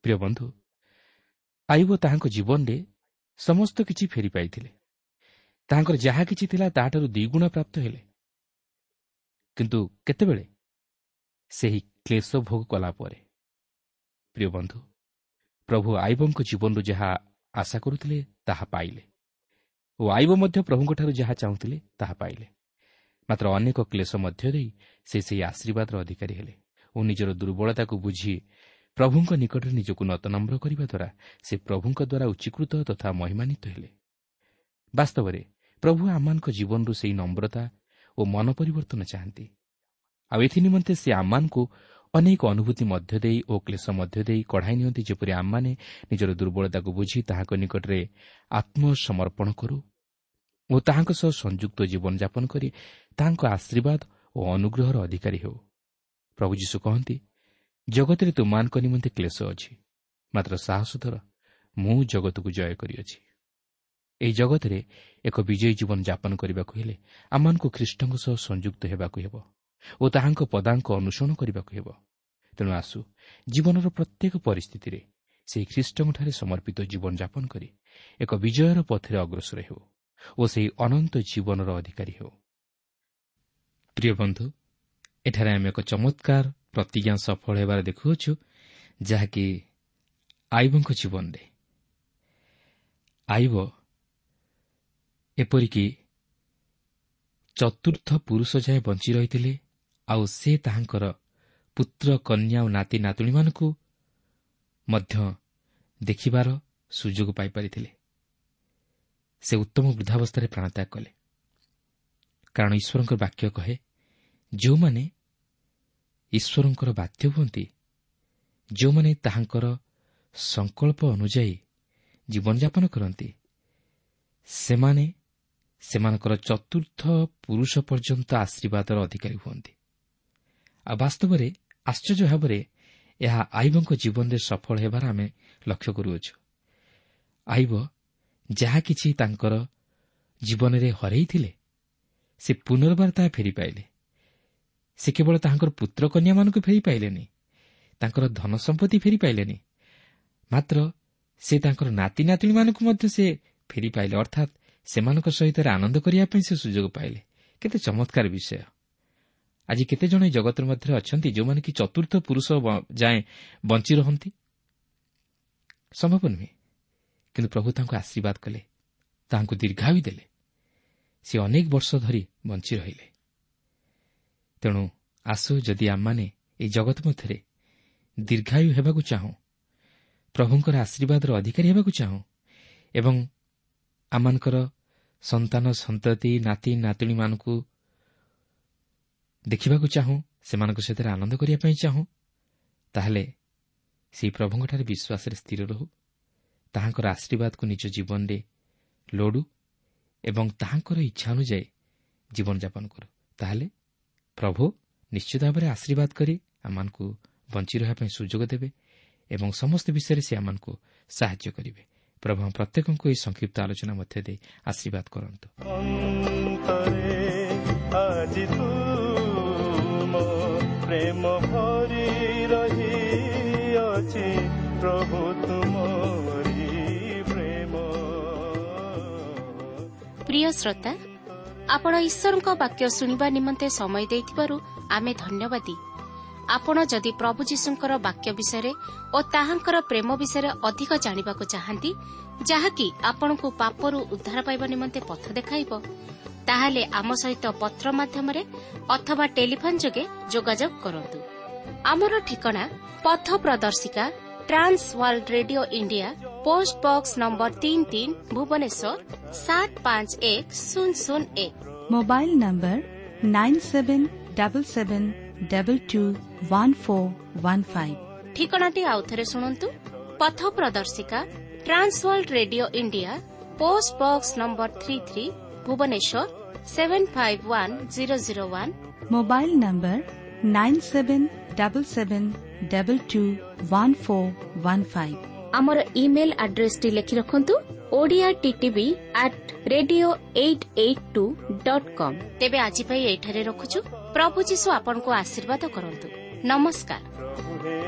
ପ୍ରିୟ ବନ୍ଧୁ, ଆୟୁବ ତାହାଙ୍କ ଜୀବନରେ ସମସ୍ତ କିଛି ଫେରି ପାଇଥିଲେ। ତାହାଙ୍କର ଯାହା କିଛି ଥିଲା ତାହାଠାରୁ ଦ୍ୱିଗୁଣ ପ୍ରାପ୍ତ ହେଲେ। କିନ୍ତୁ କେତେବେଳେ? ସେହି କ୍ଲେଶ ଭୋଗ କଲା ପରେ। ପ୍ରିୟ ବନ୍ଧୁ, ପ୍ରଭୁ ଆୟୁବଙ୍କ ଜୀବନରୁ ଯାହା ଆଶା କରୁଥିଲେ ତାହା ପାଇଲେ ଓ ଆୟୁବ ମଧ୍ୟ ପ୍ରଭୁଙ୍କଠାରୁ ଯାହା ଚାହୁଁଥିଲେ ତାହା ପାଇଲେ। ମାତ୍ର ଅନେକ କ୍ଲେଶ ମଧ୍ୟ ଦେଇ ସେ ସେହି ଆଶୀର୍ବାଦର ଅଧିକାରୀ ହେଲେ ଓ ନିଜର ଦୁର୍ବଳତାକୁ ବୁଝି ପ୍ରଭୁଙ୍କ ନିକଟରେ ନିଜକୁ ନତନମ୍ର କରିବା ଦ୍ୱାରା ସେ ପ୍ରଭୁଙ୍କ ଦ୍ୱାରା ଉଚ୍ଚୀକୃତ ତଥା ମହିମାନ୍ୱିତ ହେଲେ। ବାସ୍ତବରେ ପ୍ରଭୁ ଆମମାନଙ୍କ ଜୀବନରୁ ସେହି ନମ୍ରତା ଓ ମନ ପରିବର୍ତ୍ତନ ଚାହାନ୍ତି। ଆଉ ଏଥି ନିମନ୍ତେ ସେ ଆମମାନଙ୍କୁ ଅନେକ ଅନୁଭୂତି ମଧ୍ୟ ଦେଇ ଓ କ୍ଲେଶ ମଧ୍ୟ ଦେଇ କଢ଼ାଇ ନିଅନ୍ତି, ଯେପରି ଆମମାନେ ନିଜର ଦୁର୍ବଳତାକୁ ବୁଝି ତାହାଙ୍କ ନିକଟରେ ଆତ୍ମସମର୍ପଣ କରୁ ଓ ତାହାଙ୍କ ସହ ସଂଯୁକ୍ତ ଜୀବନଯାପନ କରି ତାହାଙ୍କ ଆଶୀର୍ବାଦ ଓ ଅନୁଗ୍ରହର ଅଧିକାରୀ ହେଉ। ପ୍ରଭୁ ଯୀଶୁ କହନ୍ତି, ଜଗତରେ ତୁମମାନଙ୍କ ନିମନ୍ତେ କ୍ଲେଶ ଅଛି, ମାତ୍ର ସାହସ ଧର, ମୁଁ ଜଗତକୁ ଜୟ କରିଅଛି। ଏହି ଜଗତରେ ଏକ ବିଜୟୀ ଜୀବନ ଯାପନ କରିବାକୁ ହେଲେ ଆମମାନଙ୍କୁ ଖ୍ରୀଷ୍ଟଙ୍କ ସହ ସଂଯୁକ୍ତ ହେବାକୁ ହେବ ଓ ତାହାଙ୍କ ପଦାଙ୍କ ଅନୁସରଣ କରିବାକୁ ହେବ। ତେଣୁ ଆସୁ ଜୀବନର ପ୍ରତ୍ୟେକ ପରିସ୍ଥିତିରେ ସେହି ଖ୍ରୀଷ୍ଟଙ୍କଠାରେ ସମର୍ପିତ ଜୀବନଯାପନ କରି ଏକ ବିଜୟର ପଥରେ ଅଗ୍ରସର ହେଉ ଓ ସେହି ଅନନ୍ତ ଜୀବନର ଅଧିକାରୀ ହେଉ। ପ୍ରିୟ ବନ୍ଧୁ, ଏଠାରେ ଆମେ ଏକ ଚମତ୍କାର ପ୍ରତିଜ୍ଞା ସଫଳ ହେବାର ଦେଖୁଅଛୁ, ଯାହାକି ଆଇବଙ୍କ ଜୀବନରେ। ଆଇବ ଏପରିକି ଚତୁର୍ଥ ପୁରୁଷ ଯାଏ ବଞ୍ଚି ରହିଥିଲେ, ଆଉ ସେ ତାହାଙ୍କର ପୁତ୍ର କନ୍ୟା ଓ ନାତି ନାତୁଣୀମାନଙ୍କୁ ମଧ୍ୟ ଦେଖିବାର ସୁଯୋଗ ପାଇପାରିଥିଲେ। ସେ ଉତ୍ତମ ବୃଦ୍ଧାବସ୍ଥାରେ ପ୍ରାଣତ୍ୟାଗ କଲେ, କାରଣ ଈଶ୍ୱରଙ୍କ ବାକ୍ୟ କହେ, ଯେଉଁମାନେ ଈଶ୍ୱରଙ୍କର ବାଧ୍ୟ ହୁଅନ୍ତି, ଯେଉଁମାନେ ତାହାଙ୍କର ସଂକଳ୍ପ ଅନୁଯାୟୀ ଜୀବନଯାପନ କରନ୍ତି, ସେମାନେ ସେମାନଙ୍କର ଚତୁର୍ଥ ପୁରୁଷ ପର୍ଯ୍ୟନ୍ତ ଆଶୀର୍ବାଦର ଅଧିକାରୀ ହୁଅନ୍ତି। ଆଉ ବାସ୍ତବରେ ଆଶ୍ଚର୍ଯ୍ୟ ଭାବରେ ଏହା ଆଇବଙ୍କ ଜୀବନରେ ସଫଳ ହେବାର ଆମେ ଲକ୍ଷ୍ୟ କରୁଅଛୁ। ଆଇବ ଯାହା କିଛି ତାଙ୍କର ଜୀବନରେ ହରାଇଥିଲେ, ସେ ପୁନର୍ବାର ତାହା ଫେରି ପାଇଲେ। ସେ କେବଳ ତାହାଙ୍କର ପୁତ୍ର କନ୍ୟାମାନଙ୍କୁ ଫେରି ପାଇଲେନି, ତାଙ୍କର ଧନ ସମ୍ପତ୍ତି ଫେରି ପାଇଲେନି, ମାତ୍ର ସେ ତାଙ୍କର ନାତି ନାତୁଣୀମାନଙ୍କୁ ମଧ୍ୟ ସେ ଫେରି ପାଇଲେ, ଅର୍ଥାତ୍ ସେମାନଙ୍କ ସହିତ ଆନନ୍ଦ କରିବା ପାଇଁ ସେ ସୁଯୋଗ ପାଇଲେ। କେତେ ଚମତ୍କାର ବିଷୟ! ଆଜି କେତେଜଣ ଏ ଜଗତର ମଧ୍ୟରେ ଅଛନ୍ତି ଯେଉଁମାନେ କି ଚତୁର୍ଥ ପୁରୁଷ ଯାଏଁ ବଞ୍ଚି ରହନ୍ତି? ସମ୍ଭବ ନୁହେଁ। କିନ୍ତୁ ପ୍ରଭୁ ତାଙ୍କୁ ଆଶୀର୍ବାଦ କଲେ, ତାହାଙ୍କୁ ଦୀର୍ଘାୟୁ ଦେଲେ, ସେ ଅନେକ ବର୍ଷ ଧରି ବଞ୍ଚି ରହିଲେ। ତେଣୁ ଆସୁ, ଯଦି ଆମମାନେ ଏହି ଜଗତ ମଧ୍ୟରେ ଦୀର୍ଘାୟୁ ହେବାକୁ ଚାହୁଁ, ପ୍ରଭୁଙ୍କର ଆଶୀର୍ବାଦର ଅଧିକାରୀ ହେବାକୁ ଚାହୁଁ ଏବଂ ଆମମାନଙ୍କର ସନ୍ତାନ ସନ୍ତତି ନାତି ନାତୁଣୀମାନଙ୍କୁ ଦେଖିବାକୁ ଚାହୁଁ, ସେମାନଙ୍କ ସହିତ ଆନନ୍ଦ କରିବା ପାଇଁ ଚାହୁଁ, ତାହେଲେ ସେହି ପ୍ରଭୁଙ୍କଠାରେ ବିଶ୍ୱାସରେ ସ୍ଥିର ରହୁ, ତାହାଙ୍କର ଆଶୀର୍ବାଦକୁ ନିଜ ଜୀବନରେ ଲୋଡ଼ୁ ଏବଂ ତାହାଙ୍କର ଇଚ୍ଛା ଅନୁଯାୟୀ ଜୀବନଯାପନ କରୁ। ତାହେଲେ ପ୍ରଭୁ ନିଶ୍ଚିତ ଭାବରେ ଆଶୀର୍ବାଦ କରି ଆମମାନଙ୍କୁ ବଞ୍ଚି ରହିବା ପାଇଁ ସୁଯୋଗ ଦେବେ ଏବଂ ସମସ୍ତ ବିଷୟରେ ସେ ଆମମାନଙ୍କୁ ସାହାଯ୍ୟ କରିବେ। ପ୍ରଭୁ ପ୍ରତ୍ୟେକଙ୍କୁ ଏହି ସଂକ୍ଷିପ୍ତ ଆଲୋଚନା ମଧ୍ୟ ଦେଇ ଆଶୀର୍ବାଦ କରନ୍ତୁ। ପ୍ରେମ ଭରି ରହିଅଛି ପ୍ରଭୁ ତୁମରି ପ୍ରେମ। ପ୍ରିୟ ଶ୍ରୋତା, ଆପଣ ଈଶ୍ୱରଙ୍କ ବାକ୍ୟ ଶୁଣିବା ନିମନ୍ତେ ସମୟ ଦେଇଥିବାରୁ ଆମେ ଧନ୍ୟବାଦୀ। ଆପଣ ଯଦି ପ୍ରଭୁ ଯୀଶୁଙ୍କର ବାକ୍ୟ ବିଷୟରେ ଓ ତାହାଙ୍କର ପ୍ରେମ ବିଷୟରେ ଅଧିକ ଜାଣିବାକୁ ଚାହାନ୍ତି, ଯାହାକି ଆପଣଙ୍କୁ ପାପରୁ ଉଦ୍ଧାର ପାଇବା ନିମନ୍ତେ ପଥ ଦେଖାଇବ, ତାହେଲେ ଆମ ସହିତ ପତ୍ର ମାଧ୍ୟମରେ ଅଥବା ଟେଲିଫୋନ୍ ଯୋଗେ ଯୋଗାଯୋଗ କରନ୍ତୁ। ଆମର ଠିକଣା ପଥ ପ୍ରଦର୍ଶିକା, Trans World Radio India, post box number 33, Bhubaneswar 751001। Mobile number 9777221415। ଠିକଣାଟି ଆଉଥରେ ଶୁଣନ୍ତୁ। ପଥ ପ୍ରଦର୍ଶିକା, Trans World Radio India, post box number 33, Bhubaneswar 751001। Mobile number 9777221415। ଆମର ଇମେଲ୍ ଆଡ୍ରେସଟି ଲେଖି ରଖନ୍ତୁ, Odia TTV at radio 882.com। ତେବେ ଆଜି ପାଇଁ ଏଇଠାରେ ରଖୁଛୁ। ପ୍ରଭୁ ଯୀଶୁ ଆପଣଙ୍କୁ ଆଶୀର୍ବାଦ କରନ୍ତୁ। ନମସ୍କାର। ପ୍ରଭୁ ହେ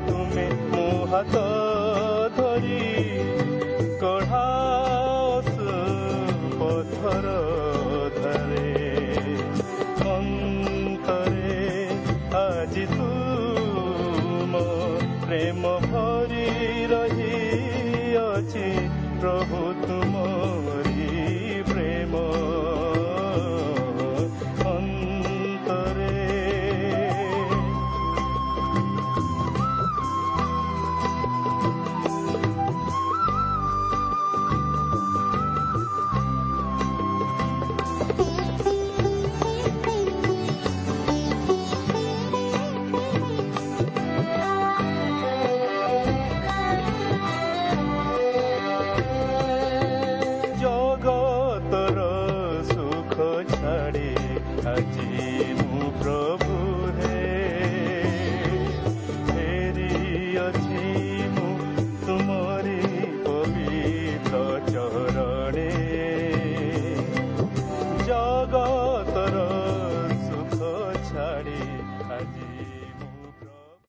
ତୁମେ ମୋ ହାତ ଧରି କଢ଼ାଅ ପଥର ଧାରେ, ଅନ୍ତରେ ଆଜି ତୁମ ପ୍ରେମ ଭରି ରହିଅଛି ପ୍ରଭୁ ତୁମ